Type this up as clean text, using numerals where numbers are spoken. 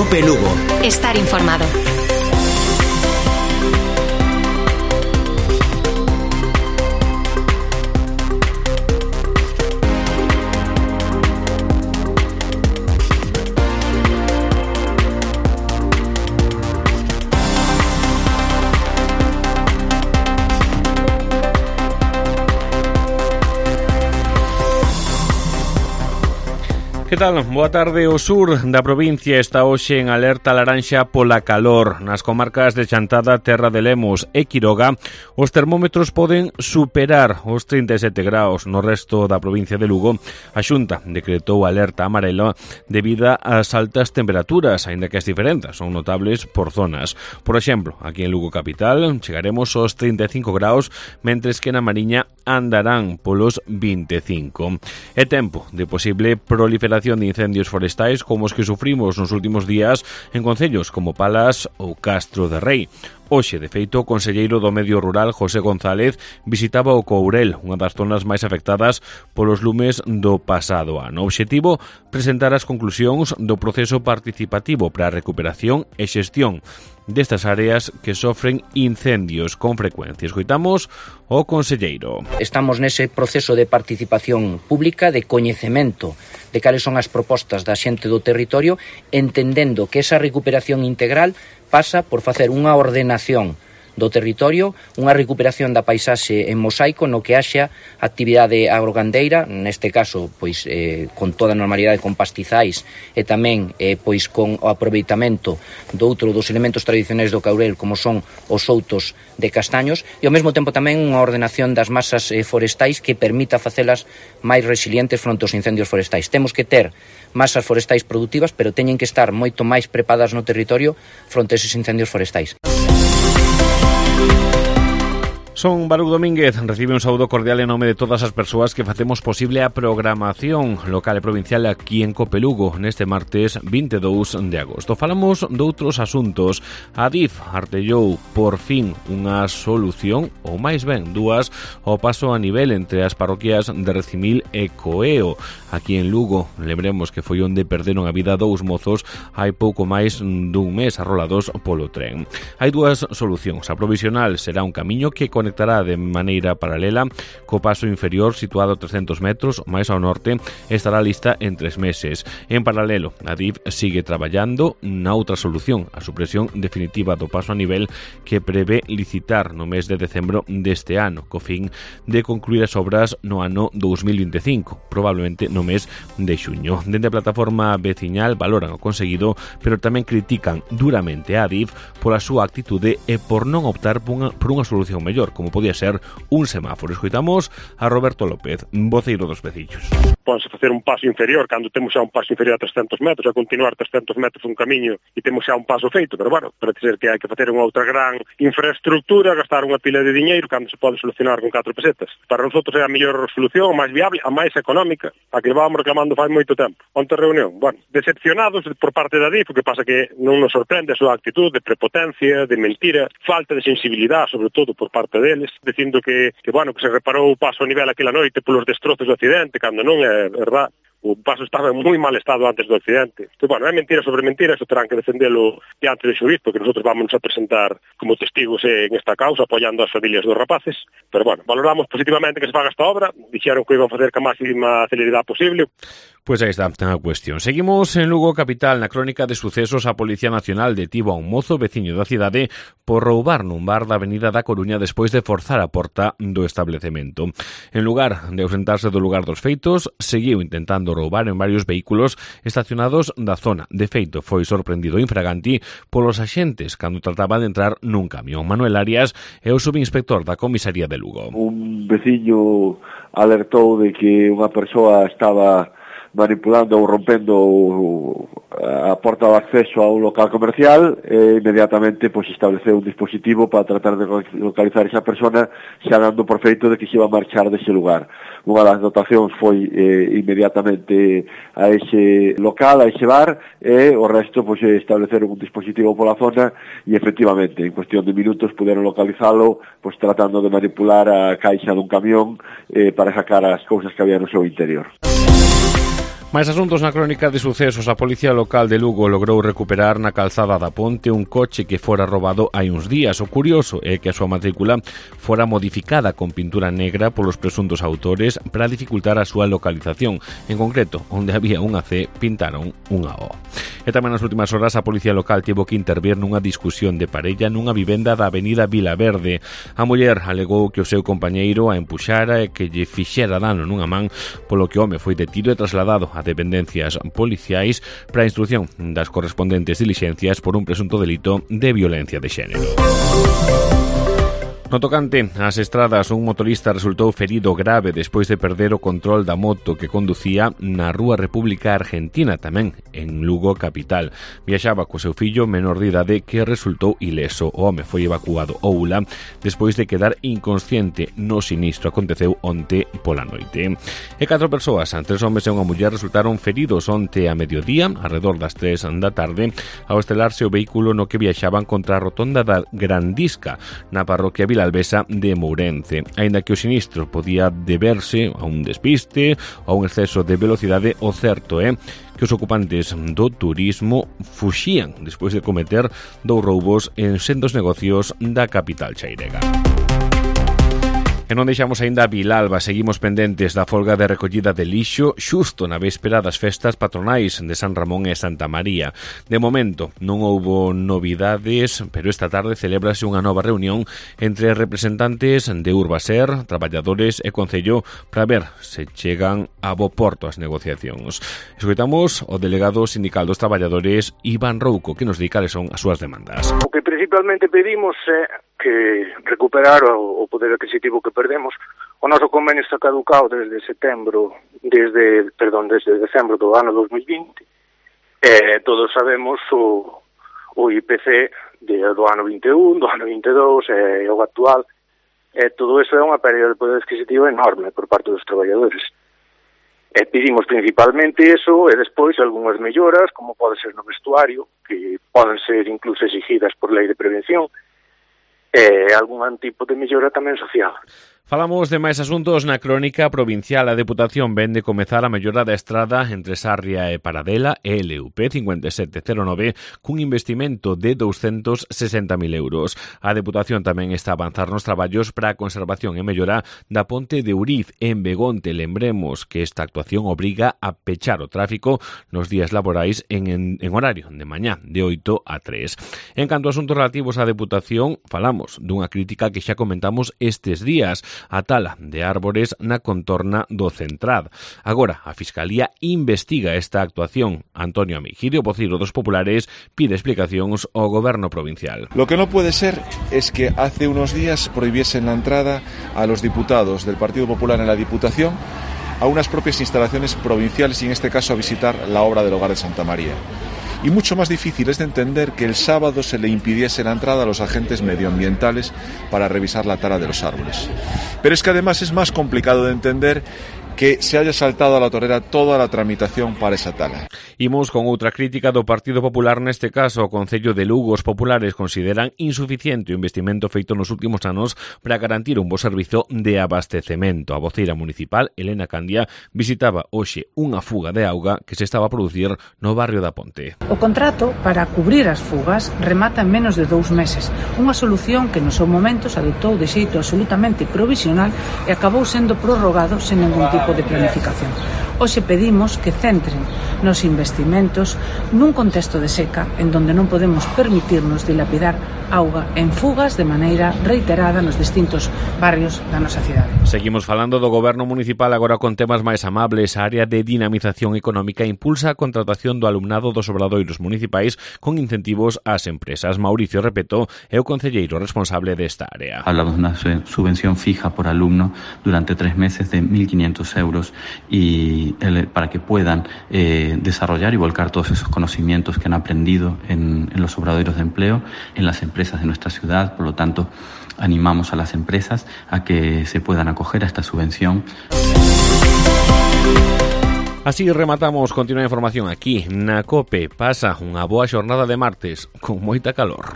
Cope Lugo. Estar informado. Que tal? Boa tarde. O sur da provincia está hoxe en alerta laranxa pola calor. Nas comarcas de Chantada, Terra de Lemos e Quiroga, os termómetros poden superar os 37 graus. No resto da provincia de Lugo, a Xunta decretou alerta amarela debido ás altas temperaturas, aínda que as diferenzas son notables por zonas. Por exemplo, aquí en Lugo capital chegaremos aos 35 graus, mentres que na Mariña andarán polos 25. É tempo de posible proliferación de incendios forestais como os que sufrimos nos últimos días en concellos como Palas ou Castro de Rei. Hoxe, de feito, o conselleiro do Medio Rural, José González, visitaba o Courel, unha das zonas máis afectadas polos lumes do pasado ano. O obxectivo, presentar as conclusións do proceso participativo para a recuperación e xestión destas áreas que sofren incendios con frecuencia. Escoitamos o conselleiro. Estamos nese proceso de participación pública, de coñecemento de cales son as propostas da xente do territorio, entendendo que esa recuperación integral pasa por facer unha ordenación do territorio, unha recuperación da paisaxe en mosaico no que haxa actividade agrogandeira, neste caso pois con toda a normalidade con pastizais e tamén pois con o aproveitamento do outro dos elementos tradicionais do Courel como son os outos de castaños e ao mesmo tempo tamén unha ordenación das masas forestais que permita facelas máis resilientes fronte aos incendios forestais. Temos que ter masas forestais productivas, pero teñen que estar moito máis preparadas no territorio fronte a esos incendios forestais. Son Baruch Domínguez, recibe un saúdo cordial en nome de todas as persoas que facemos posible a programación local e provincial aquí en Cope Lugo neste martes 22 de agosto. Falamos doutros asuntos. A DIF artellou por fin unha solución, ou máis ben dúas, ao paso a nivel entre as parroquias de Recimil e Coeo. Aquí en Lugo, lembremos que foi onde perderon a vida dous mozos hai pouco máis dun mes arrolados polo tren. Hai dúas solucións. A provisional será un camiño que conectará de maneira paralela co paso inferior situado a 300 metros máis ao norte, estará lista en 3 meses. En paralelo, a DIF sigue traballando na outra solución, a supresión definitiva do paso a nivel que prevé licitar no mes de decembro deste ano, co fin de concluir as obras no ano 2025, probablemente no mes de xuño. Dende a plataforma veciñal valoran o conseguido, pero tamén critican duramente a DIF pola súa actitude e por non optar por unha solución mellor, como podía ser un semáforo. Escoitamos a Roberto López, voceiro dos veciños. Pónse facer un paso inferior cando temos xa un paso inferior a 300 metros, a continuar 300 metros un camiño e temos xa un paso feito, pero bueno, parece ser que hai que facer unha outra gran infraestructura, gastar unha pila de diñeiro cando se pode solucionar con 4 pesetas. Para nosotros é a mellor solución, a máis viable, a máis económica, a que vamos reclamando fai moito tempo. Onte reunión, bueno, decepcionados por parte da DIF, o que pasa que non nos sorprende a súa actitud de prepotencia, de mentira, falta de sensibilidade, sobre todo por parte deles, dicindo que se reparou o paso a nivel aquela noite polos destrozos do accidente, cando non é verdad. O paso estaba en moi mal estado antes do accidente. Então, bueno, é mentira sobre mentira, eso terán que defendelo diante de xuíz, porque nosotros vamos a presentar como testigos en esta causa, apoiando as familias dos rapaces. Pero, bueno, valoramos positivamente que se faga esta obra, dixeron que iban a facer ca máxima celeridade posible. Pois aí está a cuestión. Seguimos en Lugo capital. Na crónica de sucesos, a Policía Nacional detivo a un mozo veciño da cidade por roubar nun bar da Avenida da Coruña despois de forzar a porta do establecemento. En lugar de ausentarse do lugar dos feitos, seguiu intentando roubar en varios vehículos estacionados da zona. De feito, foi sorprendido infraganti polos axentes cando trataba de entrar nun camión. Manuel Arias é o subinspector da comisaría de Lugo. Un veciño alertou de que unha persoa estaba manipulando ou rompendo a porta de acceso a un local comercial e inmediatamente pois estableceu un dispositivo para tratar de localizar esa persona, xa dando por feito de que se iba a marchar dese lugar. Unha das dotacións foi inmediatamente a ese local, a ese bar, e o resto pois estableceron un dispositivo pola zona e efectivamente en cuestión de minutos puderon localizalo pois tratando de manipular a caixa dun camión para sacar as cousas que había no seu interior. Máis asuntos na crónica de sucesos. A Policía Local de Lugo logrou recuperar na calzada da Ponte un coche que fora robado hai uns días. O curioso é que a súa matrícula fora modificada con pintura negra polos presuntos autores para dificultar a súa localización. En concreto, onde había unha C, pintaron unha O. E tamén nas últimas horas a Policía Local tivo que intervir nunha discusión de parella nunha vivenda da avenida Vilaverde. A muller alegou que o seu compañeiro a empuxara e que lle fixera dano nunha man, polo que o home foi detido e trasladado a dependencias policiais para a instrucción das correspondentes dilixencias por un presunto delito de violencia de xénero. No tocante ás estradas, un motorista resultou ferido grave despois de perder o control da moto que conducía na Rúa República Argentina, tamén en Lugo capital. Viaxaba co seu fillo menor de idade que resultou ileso. O home foi evacuado ao ULA despois de quedar inconsciente. No sinistro aconteceu onte pola noite. E 4 persoas, 3 homes e unha muller, resultaron feridos onte a mediodía, alrededor das 3 da tarde, ao estelarse o vehículo no que viaxaban contra a rotonda da Grandisca, na parroquia Vilalbesa de Mourense. Aínda que o sinistro podía deberse a un despiste ou a un exceso de velocidade, o certo é que os ocupantes do turismo fuxían despois de cometer 2 roubos en sendos negocios da capital chairega. E non deixamos aínda a Vilalba, seguimos pendentes da folga de recollida de lixo xusto na véspera das festas patronais de San Ramón e Santa María. De momento non houbo novidades, pero esta tarde celébrase unha nova reunión entre representantes de Urbaser, traballadores e Concello para ver se chegan a bo porto as negociacións. Escoitamos o delegado sindical dos traballadores, Iván Rouco, que nos di cales son as súas demandas. O que principalmente pedimos é que recuperar o poder adquisitivo que perdemos. O noso convenio está caducado desde decembro do ano 2020. Todos sabemos o IPC do ano 21, do ano 22 e o actual. Todo iso é unha pérdida de poder adquisitivo enorme por parte dos traballadores. Pedimos principalmente eso e despois algunhas melloras, como pode ser no vestuario, que poden ser incluso exigidas por lei de prevención, e algún tipo de mellora tamén social. Falamos de máis asuntos na crónica provincial. A Deputación vende comezar a mellora da estrada entre Sarria e Paradela, LUP 5709, cun investimento de 260.000 euros. A Deputación tamén está a avanzar nos traballos para a conservación e mellora da ponte de Uriz en Begonte. Lembremos que esta actuación obriga a pechar o tráfico nos días laborais en horario de mañá, de 8 a 3. En canto a asuntos relativos á Deputación, falamos dunha crítica que xa comentamos estes días, a tala de árbores na contorna do Centrad. Agora, a Fiscalía investiga esta actuación. Antonio Amigirio, voceiro dos populares, pide explicacións ao Goberno provincial. Lo que no puede ser es que hace unos días prohibiesen la entrada a los diputados del Partido Popular en la Diputación a unas propias instalaciones provinciales y en este caso a visitar la obra del Hogar de Santa María. Y mucho más difícil es de entender que el sábado se le impidiese la entrada a los agentes medioambientales para revisar la tala de los árboles. Pero es que además es más complicado de entender que se haya saltado a la torera toda a tramitación para esa tala. Imos con outra crítica do Partido Popular, neste caso o Concello de Lugo. Os populares consideran insuficiente o investimento feito nos últimos anos para garantir un bo servizo de abastecemento. A voceira municipal, Elena Candia, visitaba hoxe unha fuga de auga que se estaba a producir no barrio da Ponte. O contrato para cubrir as fugas remata en menos de 2 meses, unha solución que no seu momento se adoptou de xeito absolutamente provisional e acabou sendo prorrogado sen ningún tipo de planificación. Hoxe pedimos que centren nos investimentos nun contexto de seca en donde non podemos permitirnos dilapidar auga en fugas de maneira reiterada nos distintos barrios da nosa cidade. Seguimos falando do Goberno municipal agora con temas máis amables. A área de dinamización económica impulsa a contratación do alumnado dos obradoiros municipais con incentivos ás empresas. Mauricio Repeto é o concelleiro responsable desta área. Hablamos de unha subvención fija por alumno durante 3 meses de 1.500 euros y para que puedan desarrollar y volcar todos esos conocimientos que han aprendido en los obradoiros de empleo en las empresas de nuestra ciudad. Por lo tanto, animamos a las empresas a que se puedan acoger a esta subvención. Así rematamos. Continúa a información aquí na COPE. Pasa unha boa xornada de martes con moita calor.